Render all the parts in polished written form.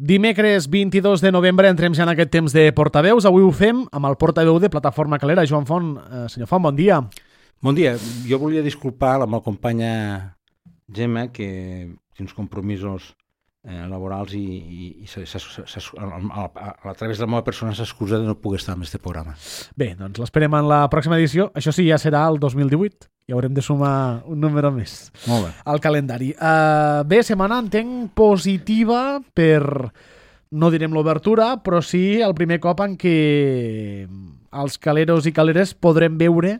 Dimecres 22 de novembre entrem ja en aquest temps de portaveus. Avui ho fem amb el portaveu de Plataforma Calera, Joan Font. Senyor Font, bon dia. Bon dia. Jo volia disculpar la meva companya Gemma, que té uns compromisos laborals i a través de la meva persona s'excusa de no poder estar en aquest programa. Bé, doncs l'esperem en la pròxima edició. Això sí, ja serà el 2018. I haurem de sumar un número més al calendari. Bé, setmana entenc positiva per, no direm l'obertura, però sí el primer cop en què els caleros i caleres podrem veure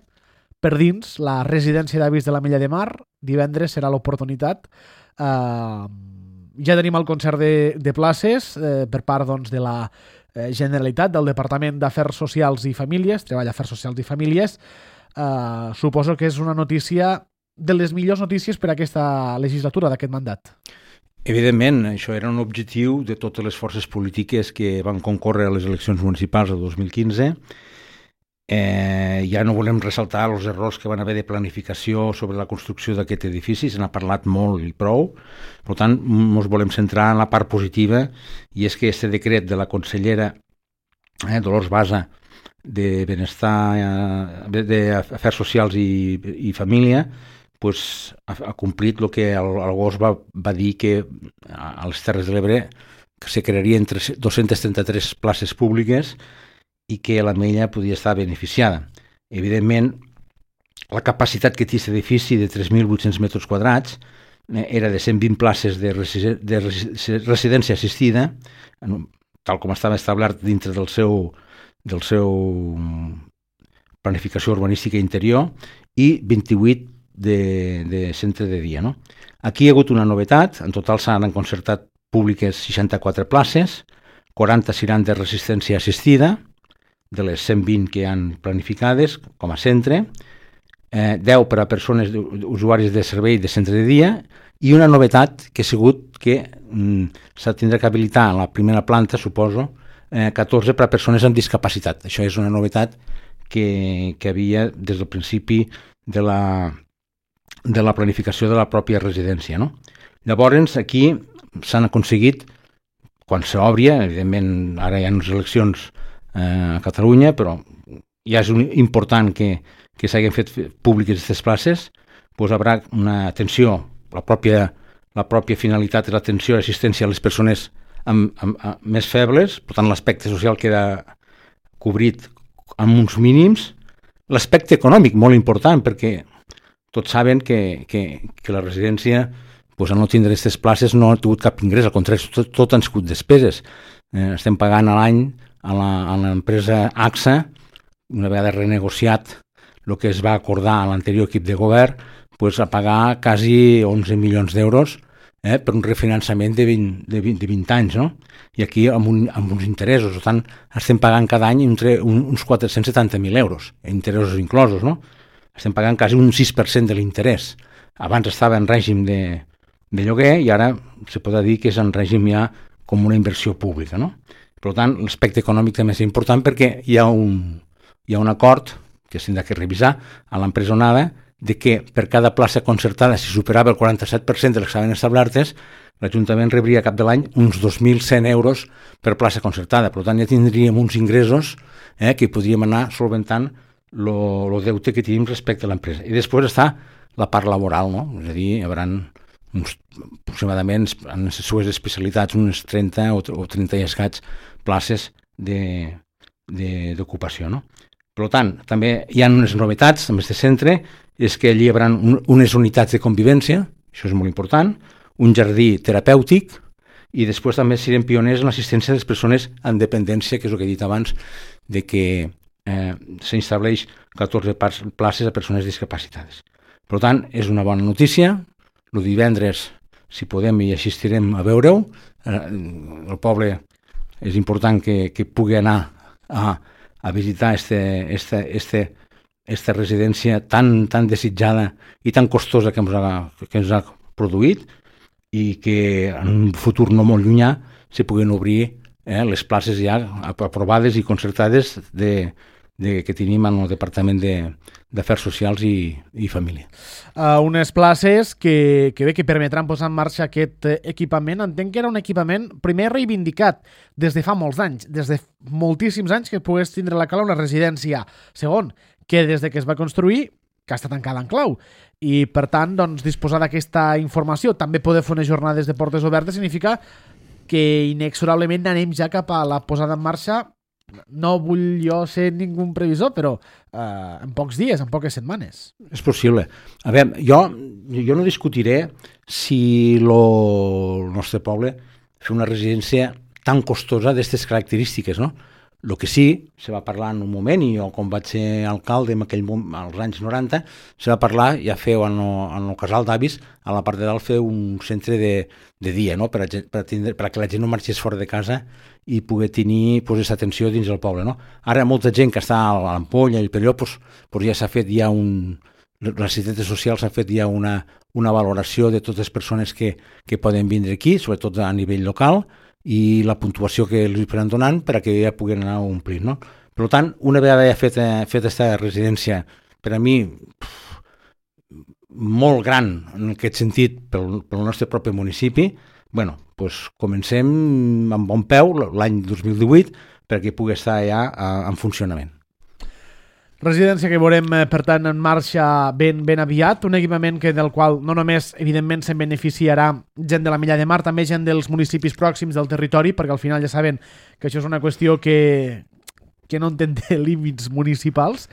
per dins la residència d'avis de l'Ametlla de Mar. Divendres serà l'oportunitat. Ja tenim el concert de places per part doncs, de la Generalitat, del Departament d'Afers Socials i Famílies, Treball, Afers Socials i Famílies. Suposo que és una notícia de les millors notícies per a aquesta legislatura, d'aquest mandat. Evidentment, això era un objectiu de totes les forces polítiques que van concórrer a les eleccions municipals del 2015. Ja no volem ressaltar els errors que van haver de planificació sobre la construcció d'aquest edifici, se n'ha parlat molt i prou. Per tant, ens volem centrar en la part positiva, i és que aquest decret de la consellera Dolors Bassa de Benestar, d'Afers Socials i Família, pues, ha complit el que l'agost va dir, que a les Terres de l'Ebre se crearien 233 places públiques i que l'Ametlla podia estar beneficiada. Evidentment, la capacitat que té aquest edifici de 3.800 metres quadrats era de 120 places de residència assistida, tal com estava establert dintre del seu planificació urbanística interior, i 28 de centre de dia. No? Aquí hi ha hagut una novetat. En total s'han concertat públiques 64 places, 40 seran de resistència assistida, de les 120 que hi han planificades com a centre, 10 per a persones usuaris de servei de centre de dia, i una novetat que ha sigut que s'ha tindrà que habilitar a la primera planta, suposo, 14 per a persones amb discapacitat. Això és una novetat que havia des del principi de la planificació de la pròpia residència. No? Llavors, aquí s'han aconseguit, quan s'obri, evidentment ara hi ha unes eleccions a Catalunya, però ja és important que s'hagin fet públiques aquestes places, doncs haurà una atenció, la pròpia finalitat és l'atenció i assistència a les persones més febles. Per tant, l'aspecte social queda cobrit amb uns mínims. L'aspecte econòmic, molt important, perquè tots saben que la residència, doncs, al no tindre aquestes places, no ha tingut cap ingrés, al contrari, tot han sigut despeses. Estem pagant a l'any a l'empresa AXA, una vegada renegociat el que es va acordar a l'anterior equip de govern, doncs, a pagar quasi 11 milions d'euros per un refinançament de 20 anys, no? I aquí amb uns interessos. Per tant, estem pagant cada any entre uns 470.000 euros, interessos inclosos, no? Estem pagant quasi un 6% de l'interès. Abans estava en règim de lloguer i ara se pot dir que és en règim ja com una inversió pública, no? Per tant, l'aspecte econòmic també és important, perquè hi ha un acord que s'ha de revisar a l'empresa Onada, de que per cada plaça concertada, si superava el 47% de les que estaven establertes, l'Ajuntament rebria cap de l'any uns 2.100 euros per plaça concertada. Per tant, ja tindríem uns ingressos que podríem anar solventant el deute que tenim respecte a l'empresa. I després està la part laboral, no? És a dir, hi haurà aproximadament en les seues especialitats unes 30 o 30 i escaig places d'ocupació, no? Per tant, també hi ha unes novetats amb aquest centre, és que allí hi haurà unes unitats de convivència, això és molt important, un jardí terapèutic, i després també serem pioners en l'assistència de les persones amb dependència, que és el que he dit abans, de que s'estableix 14 places a persones discapacitades. Per tant, és una bona notícia. El divendres, si podem, hi assistirem a veure-ho. El poble és important que pugui anar a visitar aquesta residència tan desitjada i tan costosa que ens ha produït, i que en un futur no molt llunyà se puguin obrir les places ja aprovades i concertades que tenim en el Departament d'Afers Socials i Família. Unes places que permetran posar en marxa aquest equipament. Entenc que era un equipament primer reivindicat des de fa molts anys, des de moltíssims anys que pogués tindre a la Cala una residència. Segon, que des de que es va construir que està tancada en clau. I, per tant, doncs, disposar d'aquesta informació, també poder fer unes jornades de portes obertes, significa que inexorablement anem ja cap a la posada en marxa. No vull jo ser ningú previsor, però en pocs dies, en poques setmanes. És possible. A veure, jo no discutiré si el nostre poble fa una residència tan costosa d'aquestes característiques, no? El que sí, se va parlar en un moment, i jo quan vaig ser alcalde en aquell moment, als anys 90, se va parlar, ja feu en el casal d'avis, a la part de dalt fer un centre de dia, no? per que la gent no marxés fora de casa i poder tenir aquesta atenció dins del poble. No? Ara molta gent que està a l'Ampolla i el Perelló, ja s'ha fet ja la ciutat social s'ha fet ja una valoració de totes les persones que poden vindre aquí, sobretot a nivell local, i la puntuació que els estan donant per a que ja puguin anar omplint. No? Per tant, una vegada ja fet aquesta residència, per a mi, molt gran en aquest sentit pel nostre propi municipi, comencem amb bon peu l'any 2018 perquè pugui estar ja en funcionament. Residència que veurem, per tant, en marxa ben aviat, un equipament del qual no només, evidentment, se'n beneficiarà gent de la Milla de Mar, també gent dels municipis pròxims del territori, perquè al final ja saben que això és una qüestió que no entén límits municipals,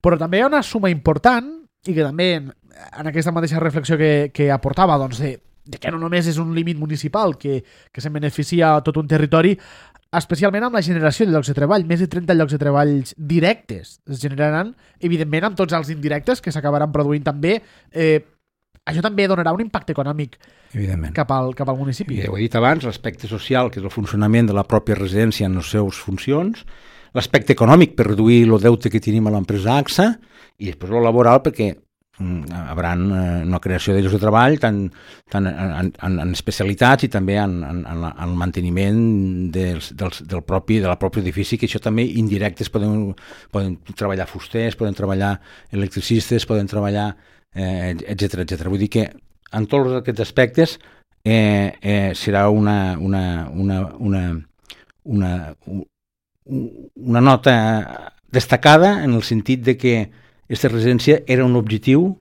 però també hi ha una suma important, i que també en aquesta mateixa reflexió que aportava, doncs, de que no només és un límit municipal, que se'n beneficia tot un territori, especialment amb la generació de llocs de treball. Més de 30 llocs de treball directes es generaran, evidentment, amb tots els indirectes que s'acabaran produint també. Això també donarà un impacte econòmic cap al municipi. Ho he dit abans, l'aspecte social, que és el funcionament de la pròpia residència en les seves funcions, l'aspecte econòmic per reduir el deute que tenim a l'empresa AXA, i després el laboral perquè haurà una creació de llocs de treball tant en especialitats i també en el manteniment de la pròpia edifici, que això també indirectes poden treballar fusters, poden treballar electricistes, poden treballar etc. Vull dir que en tots aquests aspectes serà una nota destacada en el sentit de que aquesta residència era un objectiu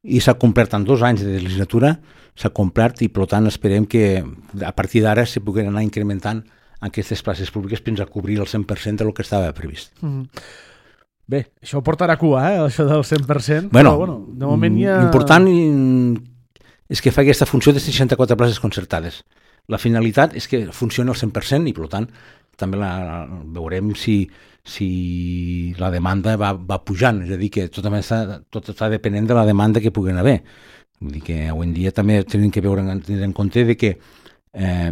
i s'ha complert en 2 anys de legislatura, s'ha complert, i per tant esperem que a partir d'ara se puguin anar incrementant aquestes places públiques fins a cobrir el 100% del que estava previst. Bé, això portarà cua, això del 100%, però de moment ja... L'important és que fa aquesta funció de 64 places concertades. La finalitat és que funcioni al 100% i per tant també veurem si la demanda va pujant, és a dir, que tot està depenent de la demanda que puguin haver. Vull dir que avui en dia també tenim que tenir en compte de que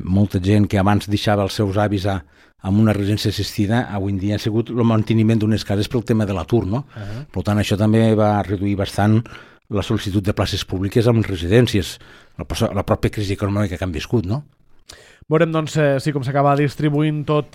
molta gent que abans deixava els seus avis en una residència assistida, avui en dia ha sigut el manteniment d'unes cases pel tema de l'atur, no? Per tant, això també va reduir bastant la sol·licitud de places públiques en residències, la pròpia crisi econòmica que han viscut, no? Veurem, doncs, com s'acaba distribuint tot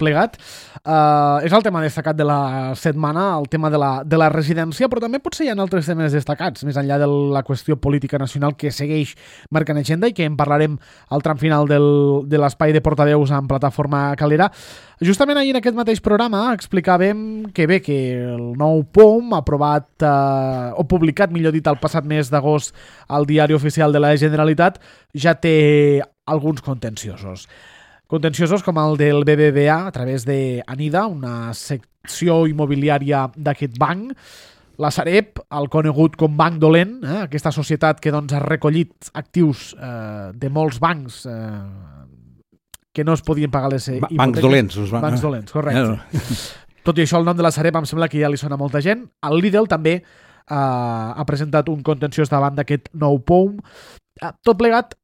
plegat. És el tema destacat de la setmana, el tema de la residència, però també potser hi ha altres temes destacats, més enllà de la qüestió política nacional que segueix marcant agenda i que en parlarem al tram final de l'espai de portaveus en plataforma Calera. Justament ahir en aquest mateix programa explicàvem que el nou POM aprovat o publicat, millor dit, el passat mes d'agost al Diari Oficial de la Generalitat ja té alguns contenciosos. Contenciosos com el del BBVA a través d'Anida, una secció immobiliària d'aquest banc, la Sareb, el conegut com Banc Dolent, aquesta societat que ha recollit actius de molts bancs que no es podien pagar les hipoteques. Bancs dolents. Bancs dolents, correcte. Tot i això, el nom de la Sareb em sembla que ja li sona a molta gent. El Lidl també ha presentat un contenciós davant d'aquest nou POM. Tot plegat,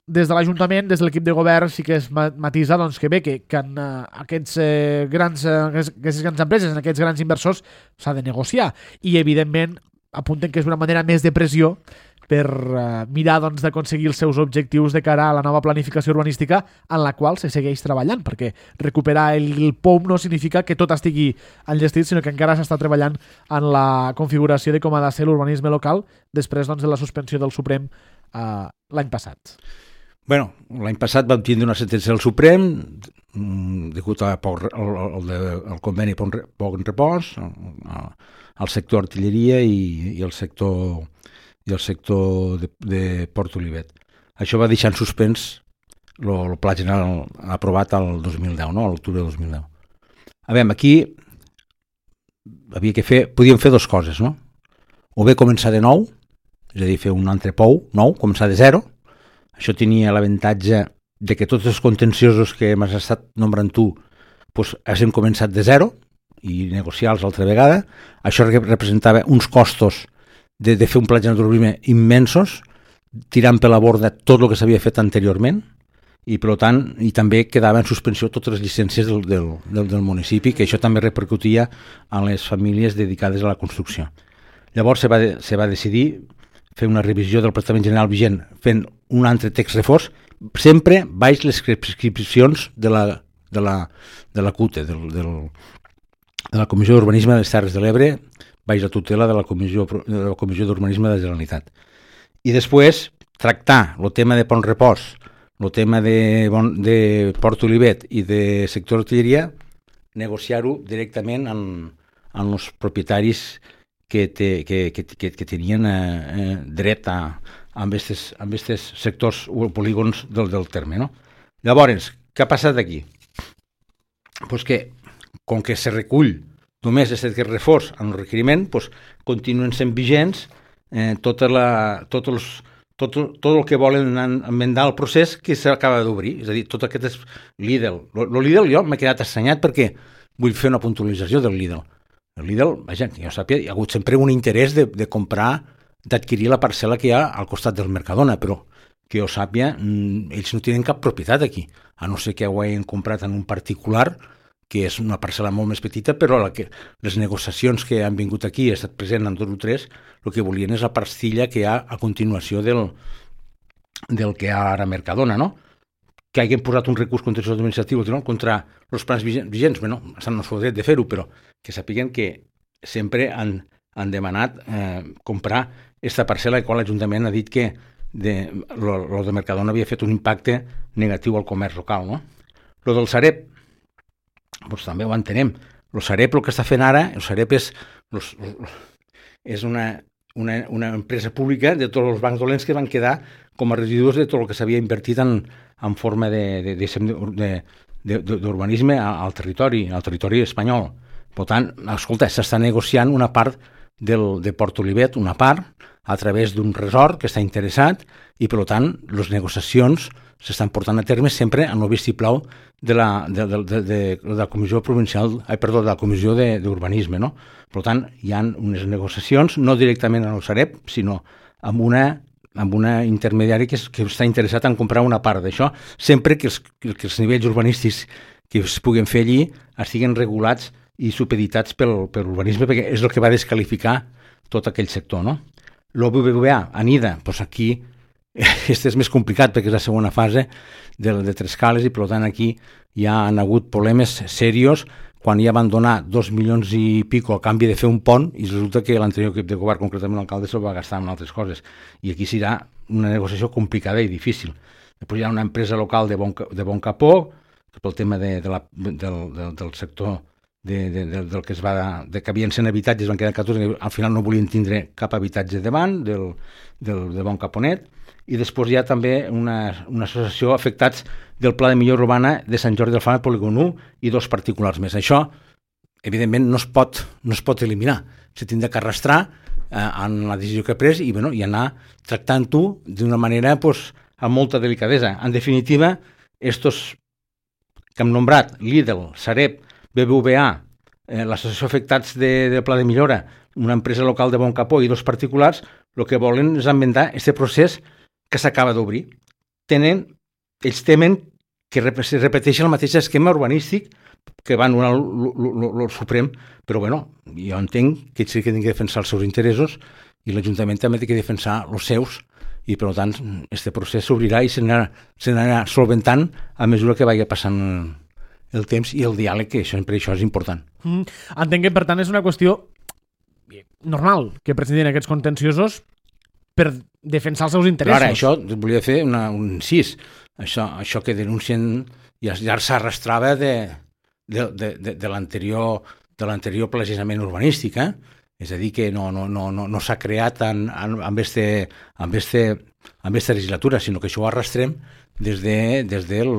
des de l'Ajuntament, des de l'equip de govern, sí que es matisa que en aquestes grans empreses, en aquests grans inversors, s'ha de negociar. I, evidentment, apunten que és una manera més de pressió per mirar doncs, d'aconseguir els seus objectius de cara a la nova planificació urbanística en la qual se segueix treballant, perquè recuperar el POUM no significa que tot estigui enllestit, sinó que encara s'està treballant en la configuració de com ha de ser l'urbanisme local després doncs, de la suspensió del Suprem l'any passat. Bueno, l'any passat vam tindre una sentència del Suprem degut al conveni Poc Repòs, al sector artilleria i el sector de Port Olivet. Això va deixar en suspens el Pla General aprovat al 2010, no? A l'octubre de 2010. A veure, aquí podíem fer dues coses, no? O bé començar de nou, és a dir, fer un altre POU nou, començar de zero. Això tenia l'avantatge de que tots els contenciosos que m'has estat nombrant tu doncs, hem començat de zero i negociar-los altra vegada. Això representava uns costos de fer un pla general d'urbanisme immensos, tirant per la borda tot el que s'havia fet anteriorment i per tant i també quedava en suspensió totes les llicències del municipi, que això també repercutia en les famílies dedicades a la construcció. Llavors se va decidir fer una revisió del Prestament General vigent fent un altre text reforç, sempre baix les prescripcions de la CUTE, de la Comissió d'Urbanisme de les Terres de l'Ebre, baix la tutela de la Comissió d'Urbanisme de la Generalitat. I després tractar el tema de Pont Repòs, el tema de Port Olivet i de sector artilleria, negociar-ho directament amb els propietaris que tenien dret amb aquests sectors o polígons del terme. No? Llavors, què ha passat aquí? Pues que, com que se recull només aquest reforç en el requeriment, pues, continuen sent vigents tot el que volen enmendar el procés que s'acaba d'obrir. És a dir, tot aquest és Lidl. El Lidl jo m'he quedat assenyat perquè vull fer una puntualització del Lidl. El Lidl, vaja, que jo sàpiga, hi ha hagut sempre un interès de comprar, d'adquirir la parcel·la que hi ha al costat del Mercadona, però que jo sàpiga, ells no tenen cap propietat aquí, a no ser que ho hagin comprat en un particular, que és una parcel·la molt més petita, però les negociacions que han vingut aquí, he estat present en 2 o 3, el que volien és la pastilla que hi ha a continuació del que hi ha ara a Mercadona, no? Que hagin posat un recurs contenciós administratiu contra els plans vigents, bueno, estan en el seu dret de fer-ho, però que sàpiguen que sempre han demanat comprar aquesta parcel·la, la qual l'Ajuntament ha dit que el de Mercadona havia fet un impacte negatiu al comerç local. No? Lo del Sareb, doncs també ho entenem. El Sareb, el que està fent ara, el Sareb és una empresa pública de tots els bancs dolents que van quedar com a residus de tot el que s'havia invertit en forma d'urbanisme al territori espanyol. Per tant, escolta, s'està negociant una part de Port Olivet, una part, a través d'un resort que està interessat i, per tant, les negociacions s'estan portant a terme sempre en el vistiplau de la Comissió Provincial, de la Comissió d'Urbanisme, no? Per tant, hi ha unes negociacions, no directament en el Sareb, sinó amb una intermediari que està interessat en comprar una part d'això, sempre que els nivells urbanístics que es puguen fer allí estiguin regulats i supeditats per l'urbanisme, perquè és el que va desqualificar tot aquell sector, no? Lo BBVA, Anida, doncs aquí este és més complicat perquè és la segona fase de Trescales i per tant aquí ja han hagut problemes serios quan ja van donar 2 milions i pico a canvi de fer un pont i resulta que l'anterior equip de govern, concretament l'alcalde, se'l va gastar en altres coses i aquí serà una negociació complicada i difícil. Després hi ha una empresa local de Bon Capó pel tema del sector del que que havien sent habitatges, van quedar 14, al final no volien tindre cap habitatge davant de Bon Caponet, i després hi ha també una associació afectats del Pla de Millora Urbana de Sant Jordi del Fam, Polígon 1 i 2 particulars més. Això, evidentment, no es pot eliminar. Se tindrà que arrastrar en la decisió que ha pres i anar tractant-ho d'una manera amb molta delicadesa. En definitiva, estos que hem nombrat, Lidl, Sareb, BBVA, l'associació afectats del Pla de Millora, una empresa local de Bon Capó i 2 particulars, el que volen és enmendar aquest procés que s'acaba d'obrir. Ells temen que es repeteixi el mateix esquema urbanístic que va anul·lar el Suprem, però bueno, jo entenc que sí que han de defensar els seus interessos i l'Ajuntament també té que defensar els seus i per tant aquest procés s'obrirà i s'anirà solventant a mesura que vagi passant el temps i el diàleg, que per això és important. Entenc que per tant és una qüestió normal que presentin aquests contenciosos per defensar els seus interessos. Ara, això volia fer un incís. Això que denuncien ja s'arrastrava de l'anterior planejament urbanístic, és a dir, que no s'ha creat amb aquesta legislatura, sinó que això ho arrastrem des del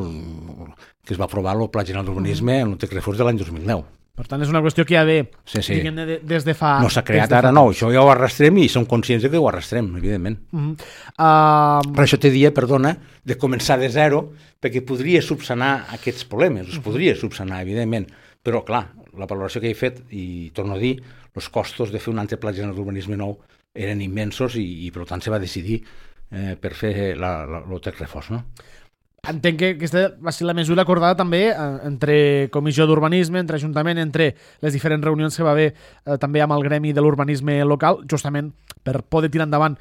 que es va aprovar el Pla General d'Urbanisme en el text refós de l'any 2010. Per tant, és una qüestió que ja ve des de fa... No s'ha creat ara, no, això ja ho arrastrem i som conscients que ho arrastrem, evidentment. Per això te dia, perdona, de començar de zero, perquè podria subsanar aquests problemes, els podria subsanar, evidentment, però clar, la valoració que he fet, i torno a dir, els costos de fer un altre pla general d'urbanisme nou eren immensos i per tant se va decidir per fer el text refós, no? Entenc que aquesta va ser la mesura acordada també entre Comissió d'Urbanisme, entre Ajuntament, entre les diferents reunions que va haver també amb el gremi de l'urbanisme local, justament per poder tirar endavant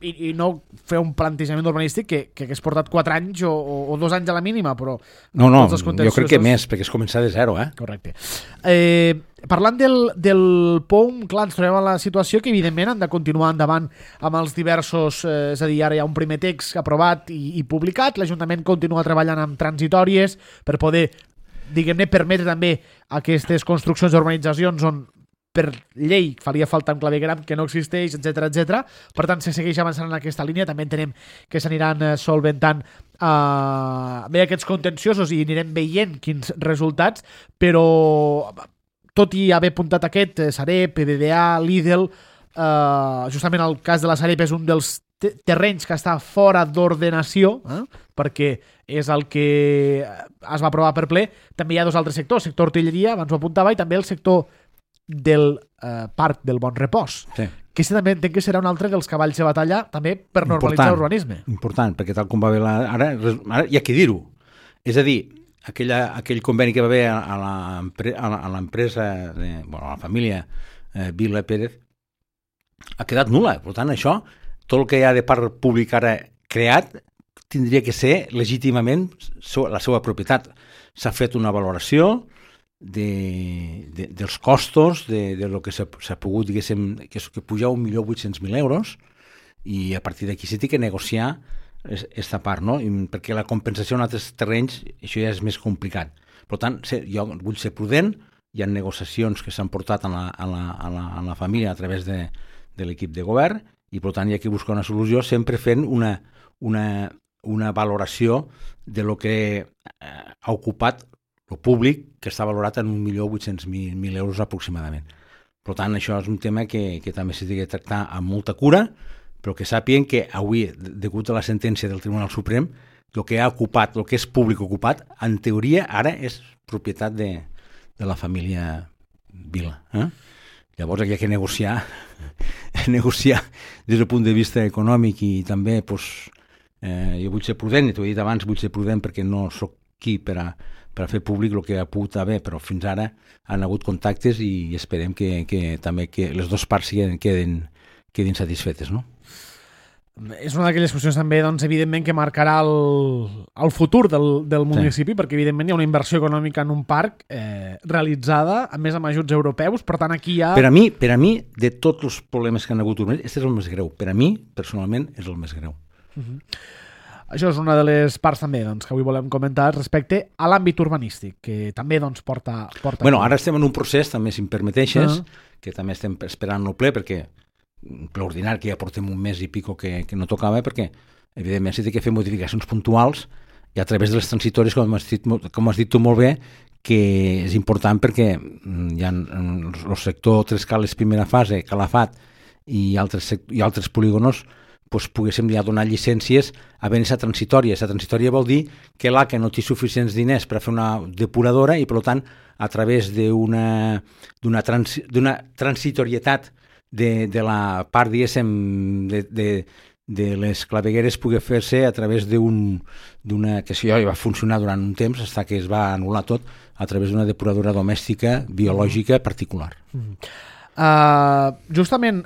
i no fer un plantejament urbanístic que hagués portat 4 anys o 2 anys a la mínima, però... No, jo crec que més, perquè és començar de zero, Correcte. Parlant del POUM, clar, ens trobem en la situació que evidentment han de continuar endavant amb els diversos... és a dir, ara hi ha un primer text aprovat i publicat, l'Ajuntament continua treballant amb transitòries per poder, diguem-ne, permetre també aquestes construccions d'urbanitzacions on per llei faria falta un clavegram que no existeix, etc. Per tant, se segueix avançant en aquesta línia. També entenem que s'aniran solventant bé aquests contenciosos i anirem veient quins resultats, però tot i haver apuntat aquest, Sareb, PBDA, Lidl, justament el cas de la Sareb és un dels terrenys que està fora d'ordenació, perquè és el que es va aprovar per ple. També hi ha 2 altres sectors, el sector artilleria, abans ho apuntava, i també el sector del Parc del Bon Repòs, que també entenc que serà un altre dels cavalls de batalla també per normalitzar l'urbanisme. Important, perquè tal com va haver ara hi ha que dir-ho. És a dir, aquell conveni que va haver a l'empresa, a la família Vila Pérez, ha quedat nul·la. Per tant, això, tot el que hi ha de part pública ara creat, tindria que ser legítimament la seva propietat. S'ha fet una valoració dels costos de lo que s'ha pogut, diguéssim, que puja 1.800.000 euros, i a partir d'aquí s'ha de negociar aquesta part, no? Perquè la compensació en altres terrenys, això ja és més complicat. Per tant, jo vull ser prudent, hi ha negociacions que s'han portat a la família a través de l'equip de govern, i per tant hi ha que buscar una solució sempre fent una valoració de lo que ha ocupat el públic, que està valorat en 1.800.000 euros aproximadament. Per tant, això és un tema que també s'ha de tractar amb molta cura, però que sàpiguen que avui, degut a la sentència del Tribunal Suprem, el que ha ocupat, el que és públic ocupat, en teoria ara és propietat de la família Vila. Llavors hi ha que negociar des del punt de vista econòmic, i també jo vull ser prudent, i t'ho he dit abans, vull ser prudent perquè no sóc qui per a fer públic el que ha pogut haver, però fins ara han hagut contactes i esperem que també que les dues parts quedin satisfetes, no? És una d'aquelles qüestions també, doncs, evidentment, que marcarà el futur del municipi, perquè evidentment hi ha una inversió econòmica en un parc realitzada, a més amb ajuts europeus, per tant aquí hi ha... Per a mi, de tots els problemes que han hagut, aquest és el més greu. Per a mi, personalment, és el més greu. Això és una de les parts també, doncs, que avui volem comentar respecte a l'àmbit urbanístic, que també doncs, porta... Bueno, ara estem en un procés, també, si em permeteixes, que també estem esperant el ple, perquè ple ordinari, que ja portem un mes i pico que no tocava, perquè evidentment s'ha de fer modificacions puntuals i a través de les transitòries, com has dit tu molt bé, que és important perquè hi ha el sector Tres Cales primera fase, Calafat i altres polígonos, doncs poguéssim ja donar llicències havent aquesta transitòria. Aquesta transitòria vol dir que l'ACA no té suficients diners per fer una depuradora i, per tant, a través d'una transitorietat de la part, diguéssim, de les clavegueres pugui fer-se a través d'una, que això ja va funcionar durant un temps, fins que es va anul·lar tot, a través d'una depuradora domèstica biològica particular. Justament,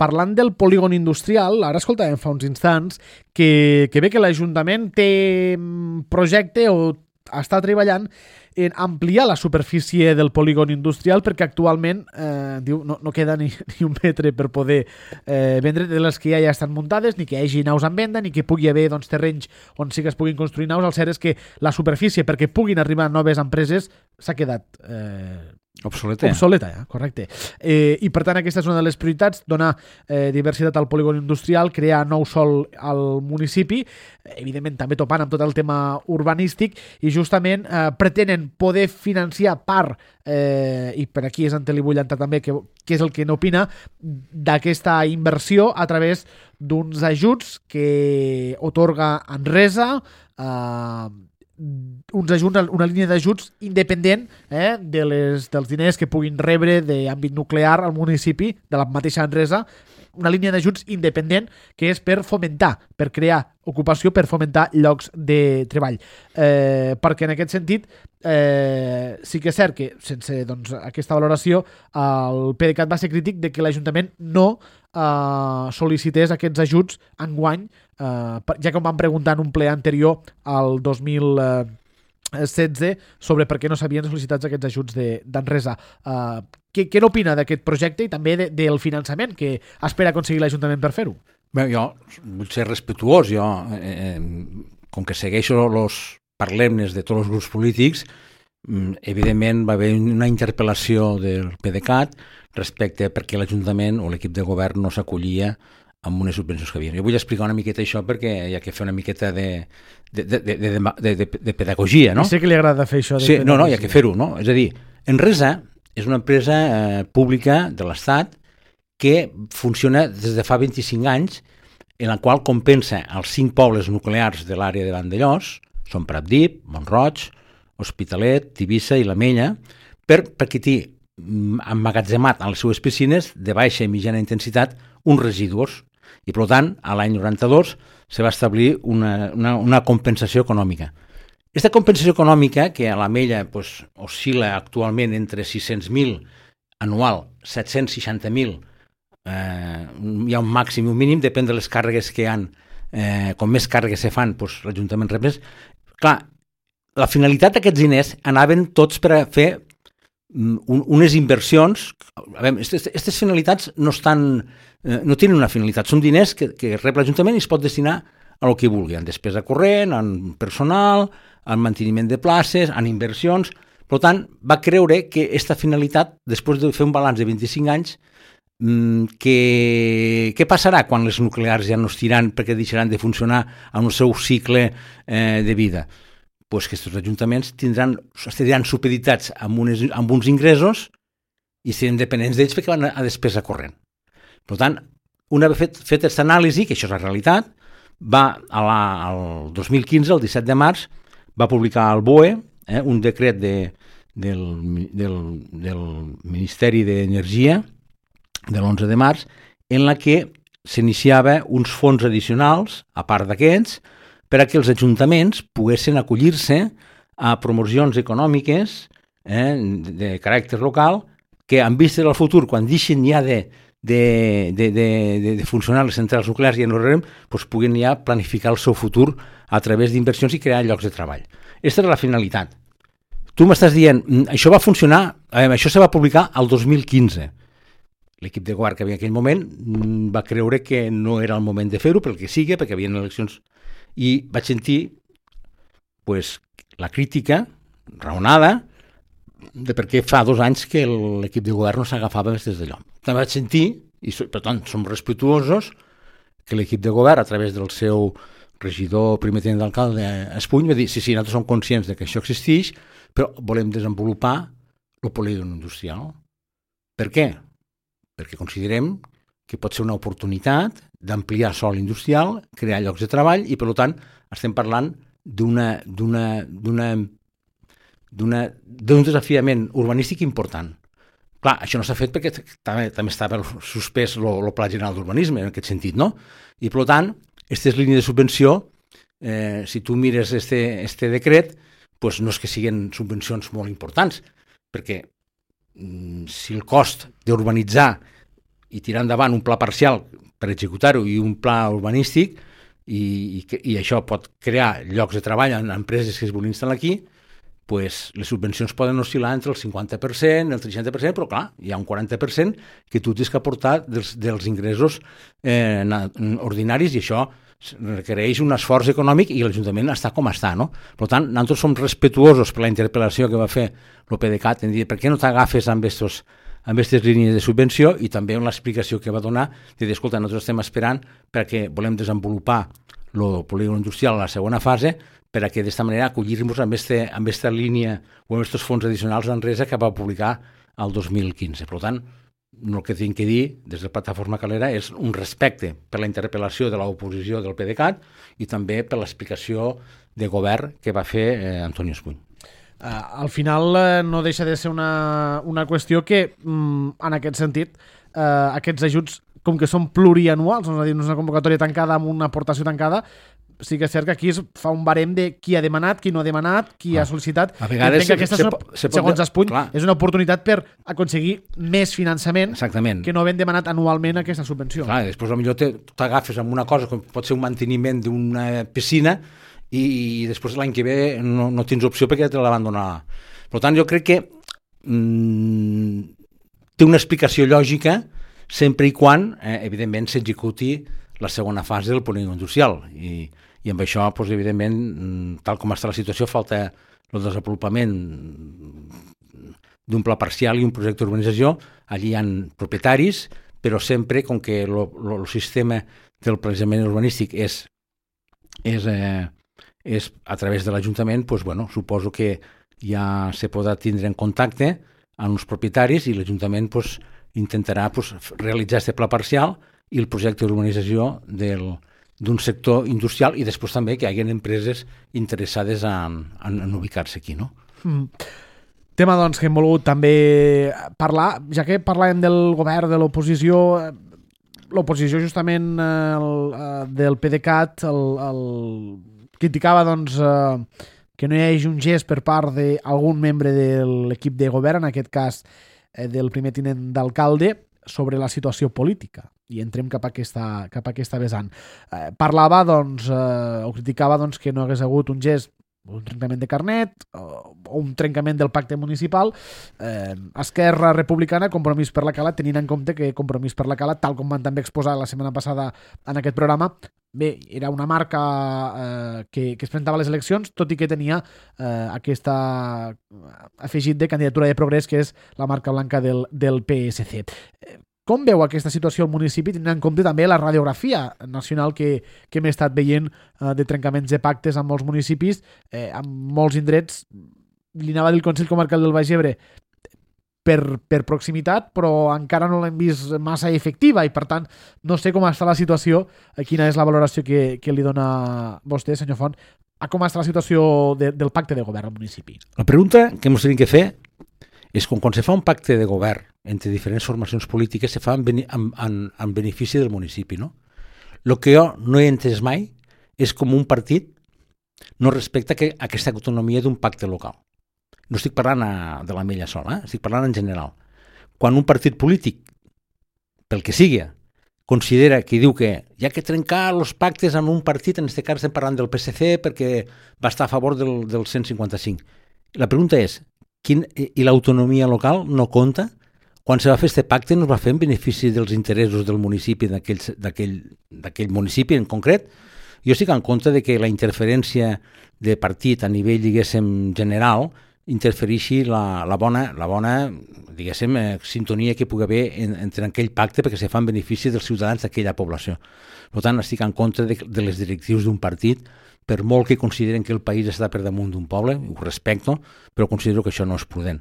parlant del polígon industrial, ara escoltàvem fa uns instants que ve que l'Ajuntament té projecte o està treballant en ampliar la superfície del polígon industrial perquè actualment diu, no queda ni un metre per poder vendre de les que ja estan muntades, ni que hi hagi naus en venda, ni que pugui haver terrenys on sí que es puguin construir naus. El cert és que la superfície perquè puguin arribar noves empreses s'ha quedat obsoleta, correcte. I per tant aquesta és una de les prioritats, donar diversitat al polígon industrial, crear nou sòl al municipi, evidentment també topant amb tot el tema urbanístic, i justament pretenen poder financiar part, i per aquí és on li vull entrar també, que és el que n'opina, d'aquesta inversió a través d'uns ajuts que otorga Enresa, una línia d'ajuts independent dels diners que puguin rebre d'àmbit nuclear al municipi, de la mateixa Enresa, una línia d'ajuts independent que és per fomentar, per crear ocupació, per fomentar llocs de treball. Perquè en aquest sentit sí que és cert que sense aquesta valoració el PDeCAT va ser crític de que l'Ajuntament no sol·licités aquests ajuts enguany, ja que em van preguntar en un ple anterior al 2016 sobre per què no s'havien sol·licitat aquests ajuts d'Enresa. Què n'opina d'aquest projecte i també del finançament que espera aconseguir l'Ajuntament per fer-ho? Bé, jo vull ser respectuós. Jo, com que segueixo els parlemnes de tots els grups polítics, evidentment va haver una interpel·lació del PDeCAT respecte perquè l'Ajuntament o l'equip de govern no s'acollia amb unes subvencions que havia. Jo vull explicar una miqueta això perquè hi ha que fer una miqueta de pedagogia, no? Sé que li agrada fer això. Sí, no, hi ha que fer-ho, no? És a dir, Enresa és una empresa pública de l'Estat que funciona des de fa 25 anys, en la qual compensa els 5 pobles nuclears de l'àrea de Vandellòs, són Pratdip, Mont-roig, Hospitalet, Tivissa i l'Ametlla, perquè té emmagatzemat a les seues piscines de baixa i mitjana intensitat uns residus. I, per tant, a l'any 92 se va establir una compensació econòmica. Aquesta compensació econòmica, que a l'Ametlla oscil·la actualment entre 600.000 anual, 760.000, hi ha un màxim i un mínim, depèn de les càrregues que hi ha. Com més càrregues se fan, l'Ajuntament rep més. Clar, la finalitat d'aquests diners anaven tots per a fer unes inversions. Aquestes finalitats no tenen una finalitat, són diners que rep l'Ajuntament i es pot destinar a el que vulgui, en despesa corrent, en personal, en manteniment de places, en inversions. Per tant, va creure que aquesta finalitat, després de fer un balanç de 25 anys, què passarà quan les nuclears ja no estiran perquè deixaran de funcionar en el seu cicle de vida? Pues que aquests ajuntaments estaran supeditats amb uns ingressos i seran dependents d'ells perquè van a despesa corrent. Per tant, una vegada fet aquesta anàlisi, que això és la realitat, el 2015, el 17 de març, va publicar el BOE un decret del Ministeri d'Energia de l'11 de març, en la que s'iniciava uns fons addicionals, a part d'aquests, per a que els ajuntaments poguessin acollir-se a promocions econòmiques de caràcter local que, en vista del futur, quan deixin ja de funcionar les centrals nuclears i puguin ja planificar el seu futur a través d'inversions i crear llocs de treball. Aquesta era la finalitat. Tu m'estàs dient, això va funcionar, això se va publicar el 2015. L'equip de govern que havia en aquell moment va creure que no era el moment de fer-ho, pel que sigui, perquè hi havia eleccions. I vaig sentir la crítica raonada de per què fa 2 anys que l'equip de govern no s'agafava des d'allò. També vaig sentir, i per tant som respectuosos, que l'equip de govern, a través del seu regidor, primer tinent d'alcalde, Espuny, va dir, sí, nosaltres som conscients que això existeix, però volem desenvolupar el polígon industrial. Per què? Perquè considerem que pot ser una oportunitat d'ampliar sòl industrial, crear llocs de treball i, per tant, estem parlant d'un desafiament urbanístic important, Clar, això no s'ha fet perquè també estava suspès el Pla General d'Urbanisme, en aquest sentit, no? I, per tant, aquestes línies de subvenció, si tu mires este decret, pues no és que siguin subvencions molt importants, perquè si el cost d'urbanitzar i tirar endavant un pla parcial per executar-ho i un pla urbanístic i això pot crear llocs de treball en empreses que es vulguin instal·lar aquí, pues les subvencions poden oscil·lar entre el 50%, el 30%, però clar, hi ha un 40% que tu tens que aportar dels ingressos ordinaris i això requereix un esforç econòmic i l'Ajuntament està com està, no? Per tant, nosaltres som respetuosos per la interpel·lació que va fer el PDeCAT en dir per què no t'agafes amb aquestes línies de subvenció i també amb l'explicació que va donar de dir, escolta, nosaltres estem esperant perquè volem desenvolupar el polígon industrial a la segona fase perquè d'esta manera acollir-nos amb aquesta línia o amb aquests fons addicionals d'Enresa que va publicar el 2015. Per tant, el que tinc que dir des de la plataforma Calera és un respecte per la interpel·lació de l'oposició del PDeCAT i també per l'explicació de govern que va fer Antoni Espuny. Al final no deixa de ser una qüestió que, en aquest sentit, aquests ajuts, com que són plurianuals, és a dir, no és una convocatòria tancada amb una aportació tancada, sí que és cert que aquí es fa un barem de qui ha demanat, qui no ha demanat, qui ha sol·licitat. A vegades, segons Espuny, és una oportunitat per aconseguir més finançament. Exactament. Que no havent demanat anualment aquesta subvenció. Clar, després potser t'agafes amb una cosa com pot ser un manteniment d'una piscina i després l'any que ve no tens opció perquè te la van donar. Per tant, jo crec que té una explicació lògica sempre i quan, evidentment, s'executi la segona fase del polígon industrial i amb això, doncs, evidentment, tal com està la situació, falta el desenvolupament d'un pla parcial i un projecte d'urbanització. Allí hi ha propietaris, però sempre, com que el sistema del planejament urbanístic és a través de l'Ajuntament, doncs, bueno, suposo que ja se podrà tindre en contacte amb els propietaris i l'Ajuntament doncs, intentarà realitzar aquest pla parcial i el projecte d'urbanització d'un sector industrial i després també que hi hagi empreses interessades en ubicar-se aquí, no? Tema, doncs, que hem volgut també parlar, ja que parlàvem del govern, de l'oposició justament del PDeCAT criticava, doncs, que no hi hagi un gest per part d'algun membre de l'equip de govern, en aquest cas del primer tinent d'alcalde, sobre la situació política, i entrem cap a aquesta vessant. Parlava, doncs, o criticava, doncs, que no hagués hagut un gest, un trencament de carnet o un trencament del pacte municipal. Esquerra Republicana, Compromís per la Cala, tenint en compte que Compromís per la Cala, tal com van també exposar la setmana passada en aquest programa, bé, era una marca que es presentava a les eleccions, tot i que tenia aquesta afegit de candidatura de progrés, que és la marca blanca del PSC. Com veu aquesta situació al municipi, tenint en compte també la radiografia nacional que hem estat veient de trencaments de pactes amb molts municipis, amb molts indrets? Li anava a dir el Consell Comarcal del Baix Ebre per proximitat, però encara no l'hem vist massa efectiva i, per tant, no sé com està la situació, quina és la valoració que li dona vostè, senyor Font, a com està la situació del pacte de govern al municipi. La pregunta que ens tenim que fer és quan se fa un pacte de govern entre diferents formacions polítiques se fa en benefici del municipi, no? El que jo no he entès mai és com un partit no respecta aquesta autonomia d'un pacte local. No estic parlant de l'Ametlla sola, estic parlant en general. Quan un partit polític, pel que sigui, considera que diu que hi ha que trencar els pactes amb un partit, en aquest cas estem parlant del PSC perquè va estar a favor del 155. La pregunta és, i l'autonomia local no compta? Quan se va fer aquest pacte no es va fer en benefici dels interessos del municipi, d'aquell municipi en concret? Jo estic en compte de que la interferència de partit a nivell, diguéssim, general interfereixi la bona diguéssim, sintonia que pugui haver entre aquell pacte perquè se fa en benefici dels ciutadans d'aquella població. Per tant, estic en contra de les directrius d'un partit, per molt que consideren que el país està per damunt d'un poble, ho respecto, però considero que això no és prudent.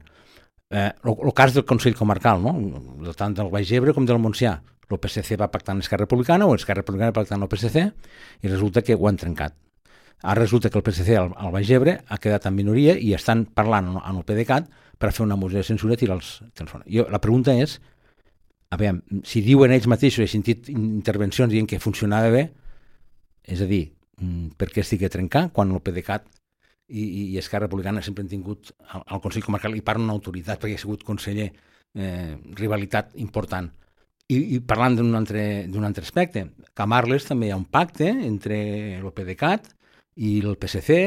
El cas del Consell Comarcal, no? Tant del Baix Ebre com del Montsià, el PSC va pactar amb Esquerra Republicana o Esquerra Republicana va pactar amb el PSC i resulta que ho han trencat. Ara resulta que el PSC al Baix Ebre ha quedat en minoria i estan parlant en el PDeCAT per fer una moció de censura i tirar els fora. La pregunta és, a veure, si diuen ells mateixos, he sentit intervencions dient que funcionava bé, és a dir, per què estigui a trencar quan el PDeCAT i Esquerra Republicana sempre han tingut al Consell Comarcal, i parlen autoritat perquè ha sigut conseller, rivalitat important. I parlant d'un altre aspecte, que a Marles també hi ha un pacte entre el PDeCAT i el PSC.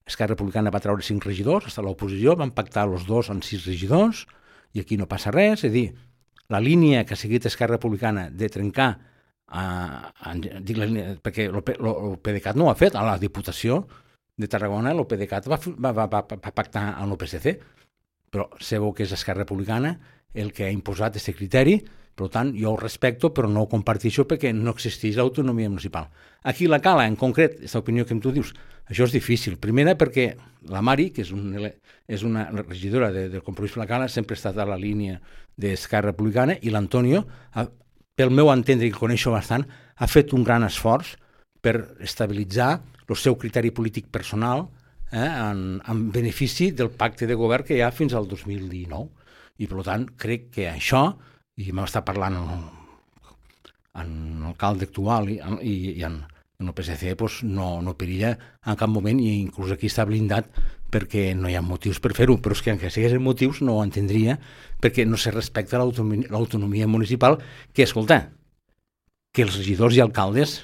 Esquerra Republicana va treure 5 regidors, fins a l'oposició van pactar els dos en 6 regidors, i aquí no passa res. És a dir, la línia que ha seguit Esquerra Republicana de trencar, perquè el PDeCAT no ho ha fet, a la Diputació de Tarragona el PDeCAT va pactar amb el PSC, però sabeu que és Esquerra Republicana el que ha imposat aquest criteri. Per tant, jo ho respecto, però no ho comparteixo perquè no existeix l'autonomia municipal. Aquí la Cala, en concret, aquesta opinió que tu dius, això és difícil. Primera, perquè la Mari, que és una regidora del Compromís per la Cala, sempre ha estat a la línia d'Esquerra Republicana, i l'Antonio, pel meu entendre, que coneixo bastant, ha fet un gran esforç per estabilitzar el seu criteri polític personal en benefici del pacte de govern que hi ha fins al 2019. I, per tant, crec que això, i m'està parlant en l'alcalde actual i en el PSC, doncs no perilla en cap moment, i inclús aquí està blindat perquè no hi ha motius per fer-ho, però és que encara siguessin motius no ho entendria, perquè no se respecta l'autonomia municipal, que, escolta, que els regidors i alcaldes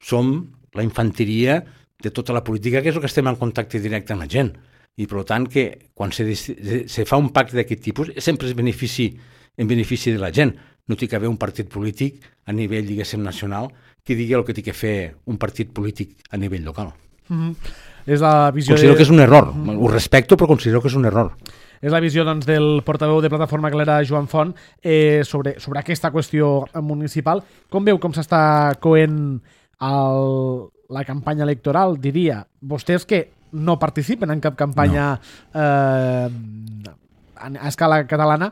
som la infanteria de tota la política, que és el que estem en contacte directe amb la gent. I, per tant, que quan se fa un pacte d'aquest tipus, sempre és en benefici de la gent. No té que haver un partit polític a nivell, diguéssim, nacional, que digui el que té que fer un partit polític a nivell local. És la visió considero que és un error. Ho respecto, però considero que és un error. És la visió, doncs, del portaveu de Plataforma Galera, Joan Font, sobre aquesta qüestió municipal. Com veu com s'està coent la campanya electoral? Diria, vostès que no participen en cap campanya a escala catalana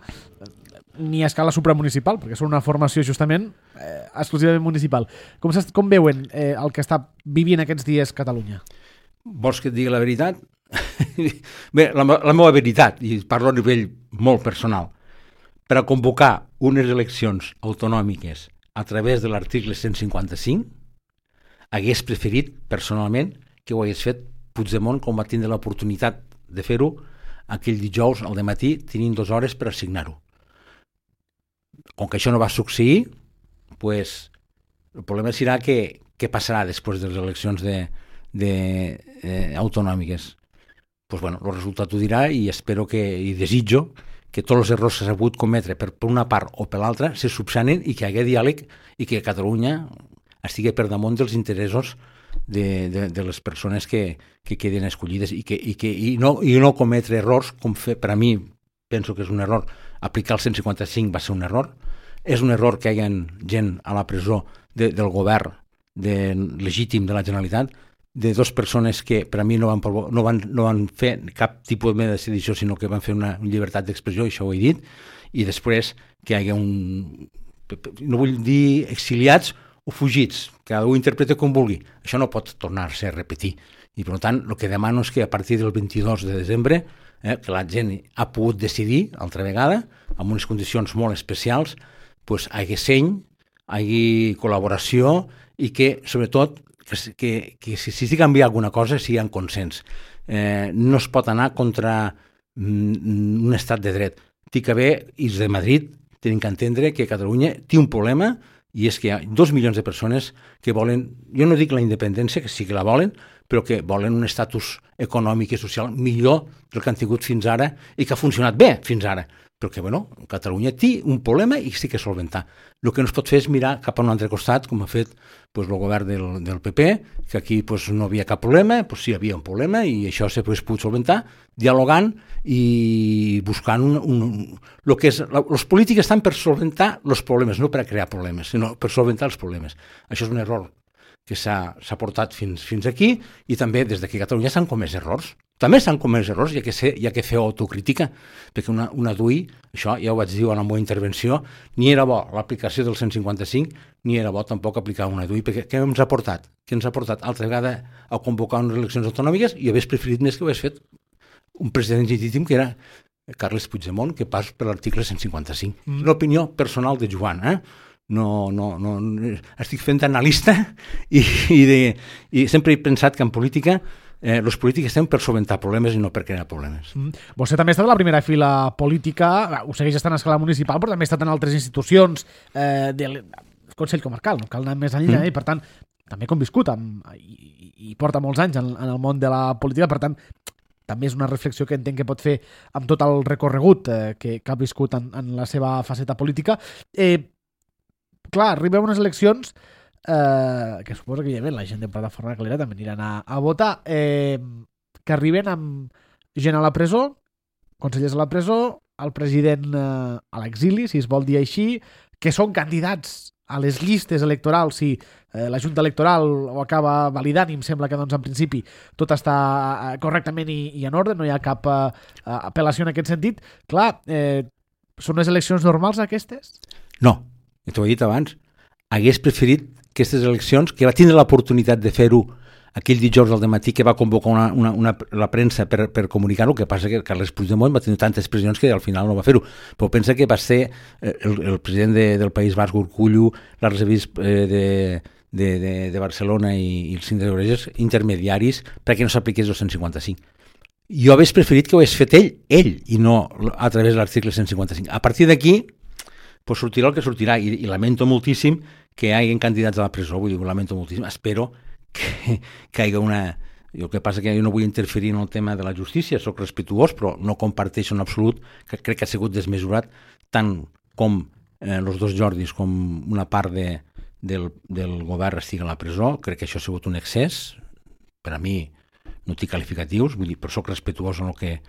ni a escala supramunicipal, perquè són una formació justament exclusivament municipal. Com veuen el que està vivint aquests dies Catalunya? Vols que et digui la veritat? Bé, la meva veritat, i parlo a nivell molt personal, per a convocar unes eleccions autonòmiques a través de l'article 155, hagués preferit, personalment, que ho hagués fet Puigdemont, com va tindre l'oportunitat de fer-ho aquell dijous al dematí, tenint 2 hores per assignar-ho. Com que això no va succeir, pues, el problema serà què passarà després de les eleccions autonòmiques. Pues, bueno, el resultat ho dirà, i espero i desitjo que tots els errors que s'ha pogut cometre per una part o per l'altra se subsanin i que hi hagi diàleg i que Catalunya estigui per damunt dels interessos de les persones que queden escollides i no cometre errors, com per a mi penso que és un error. Aplicar el 155 va ser un error. És un error que hi hagi gent a la presó del govern legítim de la Generalitat, de 2 persones que per a mi no van fer cap tipus de sedició, sinó que van fer una llibertat d'expressió, això ho he dit, i després que hi hagi no vull dir exiliats o fugits, cada un interpreta com vulgui. Això no pot tornar-se a repetir. I, per tant, el que demano és que a partir del 22 de desembre, que la gent ha pogut decidir, altra vegada, amb unes condicions molt especials, pues, hi hagi seny, hi hagi col·laboració i que, sobretot, que si s'hi canvia alguna cosa, sigui en consens. No es pot anar contra un estat de dret. Té que haver, i els de Madrid tenen que entendre que Catalunya té un problema, i és que hi ha 2 milions de persones que volen, jo no dic la independència, que sí que la volen, però que volen un estatus econòmic i social millor del que han tingut fins ara i que ha funcionat bé fins ara. Però que, bueno, Catalunya té un problema i sí que solventar. El que no es pot fer és mirar cap a un altre costat, com ha fet el govern del PP, que aquí no havia cap problema, sí hi havia un problema i això s'ha pogut solventar, dialogant i buscant el que és... Els polítics estan per solventar els problemes, no per a crear problemes, sinó per solventar els problemes. Això és un error que s'ha portat fins aquí, i també des d'aquí a Catalunya s'han comès errors. També s'han comès errors, hi ha que fer autocrítica, perquè una DUI, això ja ho vaig dir en la meva intervenció, ni era bo l'aplicació del 155, ni era bo tampoc aplicar una DUI, perquè què ens ha portat? Què ens ha portat altra vegada a convocar unes eleccions autonòmiques i hagués preferit més que ho hagués fet un president legítim que era Carles Puigdemont, que pas per l'article 155. És l'opinió personal de Joan, No, estic fent analista i sempre he pensat que en política els polítics estem per solventar problemes i no per crear problemes. Vostè també ha estat a la primera fila política, ho segueix estant a escala municipal, però també ha estat en altres institucions del Consell Comarcal, no cal anar més enllà, i per tant també ha conviscut i porta molts anys en el món de la política, per tant també és una reflexió que entenc que pot fer amb tot el recorregut que ha viscut en la seva faceta política. Clar, arriben unes eleccions que suposo que la gent de Plataforma Calera també aniran a votar, que arriben amb gent a la presó, consellers a la presó, el president a l'exili, si es vol dir així, que són candidats a les llistes electorals si la Junta Electoral ho acaba validant, i em sembla que doncs, en principi tot està correctament i en ordre, no hi ha cap apel·lació en aquest sentit. Clar, són unes eleccions normals aquestes? No, t'ho he dit abans, hagués preferit aquestes eleccions, que va tindre l'oportunitat de fer-ho aquell dijous al dematí que va convocar la premsa per comunicar-ho, que passa que Carles Puigdemont va tenir tantes pressions que al final no va fer-ho, però pensa que va ser el president del País Basc, Urkullu, l'arquebisbe de Barcelona i el síndic de Greuges intermediaris perquè no s'apliqués el 155. Jo hagués preferit que ho hagués fet ell i no a través de l'article 155. A partir d'aquí pues sortirà el que sortirà, i lamento moltíssim que hi hagi candidats a la presó, vull dir, lamento moltíssim, espero que hi hagi una... El que passa que jo no vull interferir en el tema de la justícia, soc respetuós, però no comparteixo en absolut, que crec que ha sigut desmesurat, tant com els dos Jordis com una part del govern estigui a la presó. Crec que això ha sigut un excés, per a mi no té qualificatius, vull dir, però soc respetuós en el que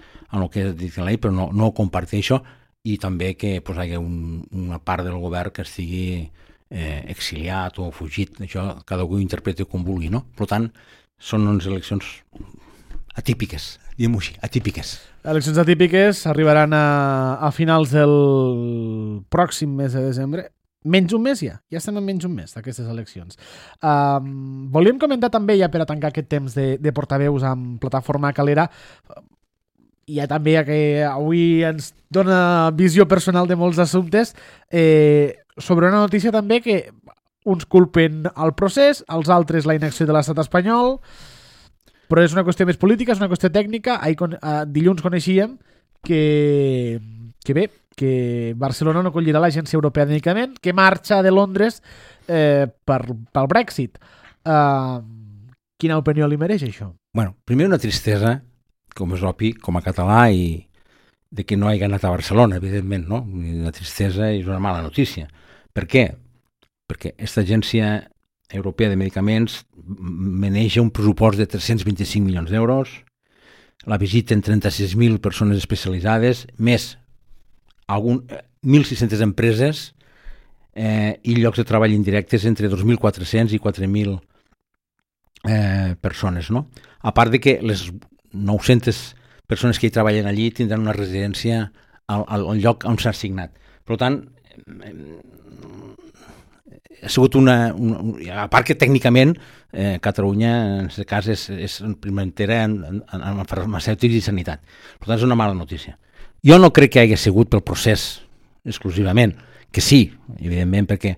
he dit la llei, però no ho comparteixo, i també que hi hagi una part del govern que estigui exiliat o fugit. Això cada un ho interpreta com vulgui, no? Per tant, són unes eleccions atípiques, diguem-ho així, atípiques. Eleccions atípiques arribaran a finals del pròxim mes de desembre. Menys un mes ja estem en menys un mes d'aquestes eleccions. Volíem comentar també, ja per a tancar aquest temps de portaveus amb Plataforma Calera, hi ha també que avui ens dona visió personal de molts assumptes, sobre una notícia també que uns culpen el procés, els altres la inacció de l'estat espanyol, però és una qüestió més política, és una qüestió tècnica. Dilluns coneixíem que Barcelona no acollirà l'Agència Europea de Medicament, que marxa de Londres pel Brexit. Quina opinió li mereix això? Bueno, primer una tristesa, com és obvi, com a català, i de que no hagi anat a Barcelona, evidentment, no? Una tristesa és una mala notícia. Per què? Perquè aquesta Agència Europea de Medicaments maneja un pressupost de 325 milions d'euros, la visiten 36.000 persones especialitzades, més 1.600 empreses i llocs de treball indirectes entre 2.400 i 4.000 persones, no? A part de que les 900 persones que hi treballen allí tindran una residència al lloc on s'ha assignat. Per tant, ha sigut a part que tècnicament Catalunya en aquest cas és primeritera en farmacèutics i sanitat. Per tant, és una mala notícia. Jo no crec que hagi sigut pel procés exclusivament, que sí, evidentment, perquè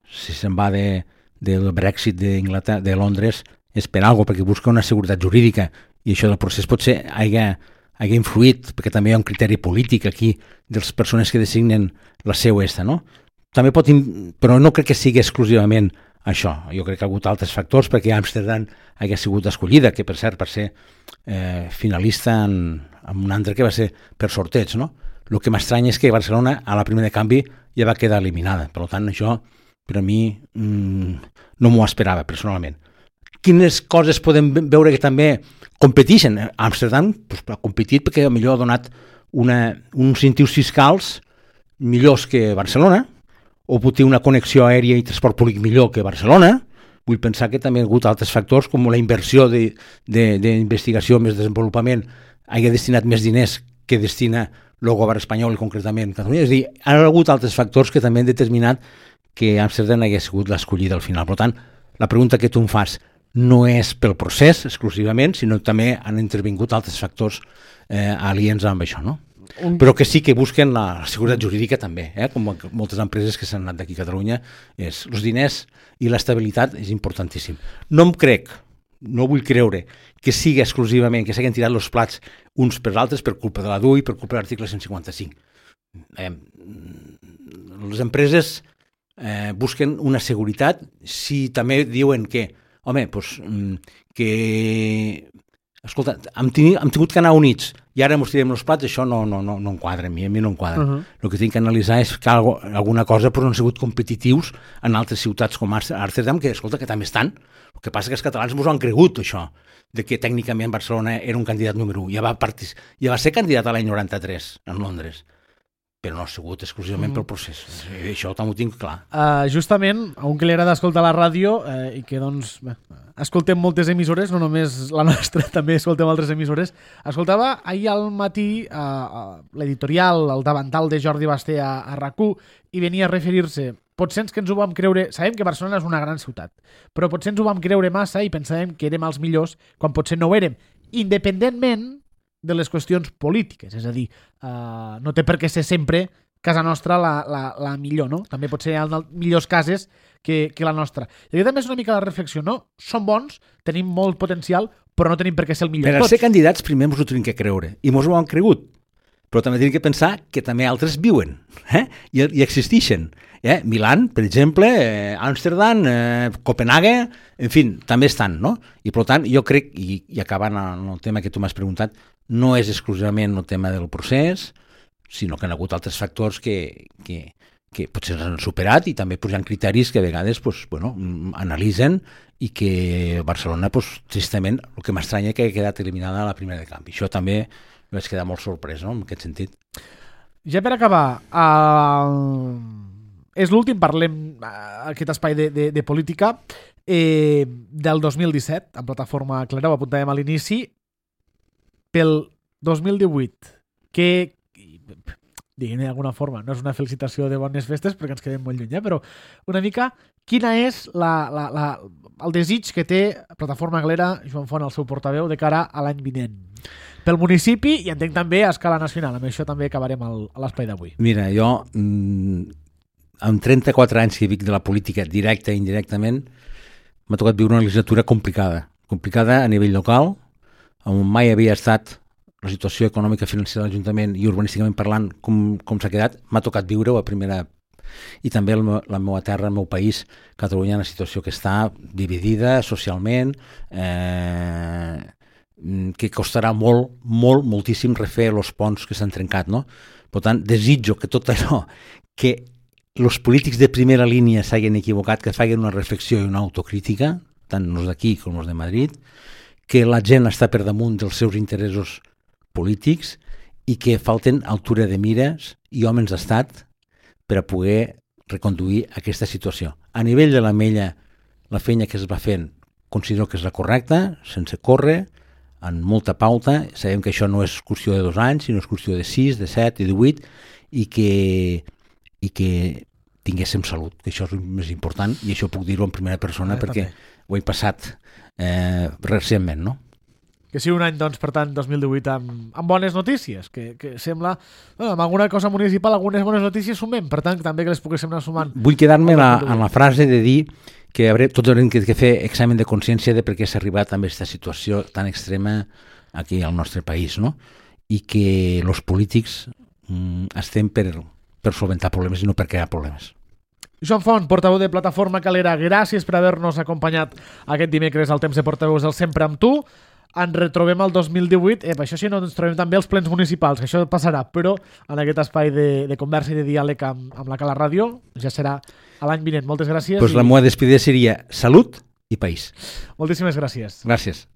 si se'n va del Brexit de Londres és per alguna cosa, perquè busca una seguretat jurídica, i això del procés potser hagi influït, perquè també hi ha un criteri polític aquí de les persones que designen la seu no? També però no crec que sigui exclusivament això. Jo crec que ha hagut altres factors perquè Amsterdam hagi sigut escollida, que per cert per ser finalista en un altre que va ser per sorteig, no? El que m'estranya és que Barcelona a la primera de canvi ja va quedar eliminada. Per tant, això per a mi no m'ho esperava personalment. Quines coses podem veure que també competeixen? Amsterdam ha competit perquè millor ha donat uns incentius fiscals millors que Barcelona, o pot tenir una connexió aèria i transport públic millor que Barcelona, vull pensar que també hi ha hagut altres factors, com la inversió d'investigació més desenvolupament hagi destinat més diners que destina el govern espanyol i concretament Catalunya. És a dir, ha hagut altres factors que també han determinat que Amsterdam hagués sigut l'escollida al final. Per tant, la pregunta que tu em fas no és pel procés exclusivament, sinó que també han intervingut altres factors aliens amb això, no? Però que sí que busquen la seguretat jurídica també, com moltes empreses que s'han anat d'aquí a Catalunya, els diners i l'estabilitat és importantíssim. No em crec, no vull creure que sigui exclusivament, que s'hagin tirat els plats uns per altres per culpa de la DUI i per culpa de l'article 155. Les empreses busquen una seguretat, si també diuen que, home, doncs, que... Escolta, hem tingut que anar units i ara ens tirem els plats, això no em quadra a mi no em quadra. El que tinc que analitzar és que alguna cosa però no han sigut competitius en altres ciutats com Amsterdam, que escolta, que també estan. El que passa que els catalans ens ho han cregut, això, de que tècnicament Barcelona era un candidat número 1. Ja va ser candidat a l'any 93 en Londres, però no ha sigut exclusivament pel procés. Això també ho tinc clar. Justament, a un que li agrada escoltar la ràdio i que, doncs, escoltem moltes emissores, no només la nostra, també escoltem altres emissores, escoltava ahir al matí l'editorial, el davantal de Jordi Basté a RAC1 i venia a referir-se. Potser que ens ho vam creure... Sabem que Barcelona és una gran ciutat, però potser ens ho vam creure massa i pensàvem que érem els millors quan potser no ho érem, independentment de les qüestions polítiques, és a dir, no té per què ser sempre casa nostra la millor, no? També pot ser en millors cases que la nostra. I aquí també és una mica la reflexió, no? Som bons, tenim molt potencial, però no tenim per què ser el millor. Per ser candidats primer ens ho tenim que creure, i ens ho han cregut, però també tenim que pensar que també altres viuen i existeixen. Milán, per exemple, Amsterdam, Copenhague, en fi, també estan, no? I per tant, jo crec, i acabant amb el tema que tu m'has preguntat, no és exclusivament el tema del procés, sinó que hi ha hagut altres factors que potser s'han superat i també hi ha criteris que a vegades analitzen i que Barcelona, tristament, el que m'estranya que ha quedat eliminada a la primera de canvi. Això també vaig quedar molt sorprès, no?, en aquest sentit. Ja per acabar, és l'últim, parlem aquest espai de política del 2017, en plataforma Clara, ho apuntàvem a l'inici. Pel 2018, que, diguem d'alguna forma, no és una felicitació de bones festes perquè ens quedem molt lluny, però una mica, quina és el desig que té Plataforma Glera, Joan Font, el seu portaveu, de cara a l'any vinent? Pel municipi i entenc també a escala nacional. Amb això també acabarem a l'espai d'avui. Mira, jo, amb 34 anys que vic de la política, directa i indirectament, m'ha tocat viure una legislatura complicada a nivell local, on mai havia estat la situació econòmica financera de l'Ajuntament i urbanísticament parlant com s'ha quedat, m'ha tocat viure-ho a primera... I també la meva terra, el meu país, Catalunya, en una situació que està dividida socialment, que costarà moltíssim refer els ponts que s'han trencat, no? Per tant, desitjo que tot allò, que els polítics de primera línia s'hagin equivocat, que facin una reflexió i una autocrítica, tant els d'aquí com els de Madrid, que la gent està per damunt dels seus interessos polítics i que falten altura de mires i homes d'estat per a poder reconduir aquesta situació. A nivell de l'Ametlla, la feina que es va fent considero que és la correcta, sense córrer, amb molta pauta. Sabem que això no és qüestió de 2 anys, sinó és qüestió de 6, de 7 i de 8, i que tinguéssim salut, que això és el més important, i això puc dir-ho en primera persona perquè ho he passat recentment, no? Que sigui un any, doncs, per tant, 2018 amb bones notícies, que sembla, amb alguna cosa municipal, algunes bones notícies sumem, per tant, també que les poguéssim anar sumant. Vull quedar-me en la frase de dir que tots haurem de fer examen de consciència de per què s'ha arribat a aquesta situació tan extrema aquí al nostre país, no? I que els polítics estem per solventar problemes i no per crear problemes. Joan Font, portaveu de Plataforma Calera, gràcies per haver-nos acompanyat aquest dimecres al Temps de Portaveus del Sempre amb tu. Ens retrobem al 2018, això sí, no ens trobem també els plens municipals, que això passarà, però en aquest espai de conversa i de diàleg amb la Cala Ràdio ja serà a l'any vinent. Moltes gràcies. Pues la meva despedida seria salut i país. Moltíssimes gràcies. Gràcies.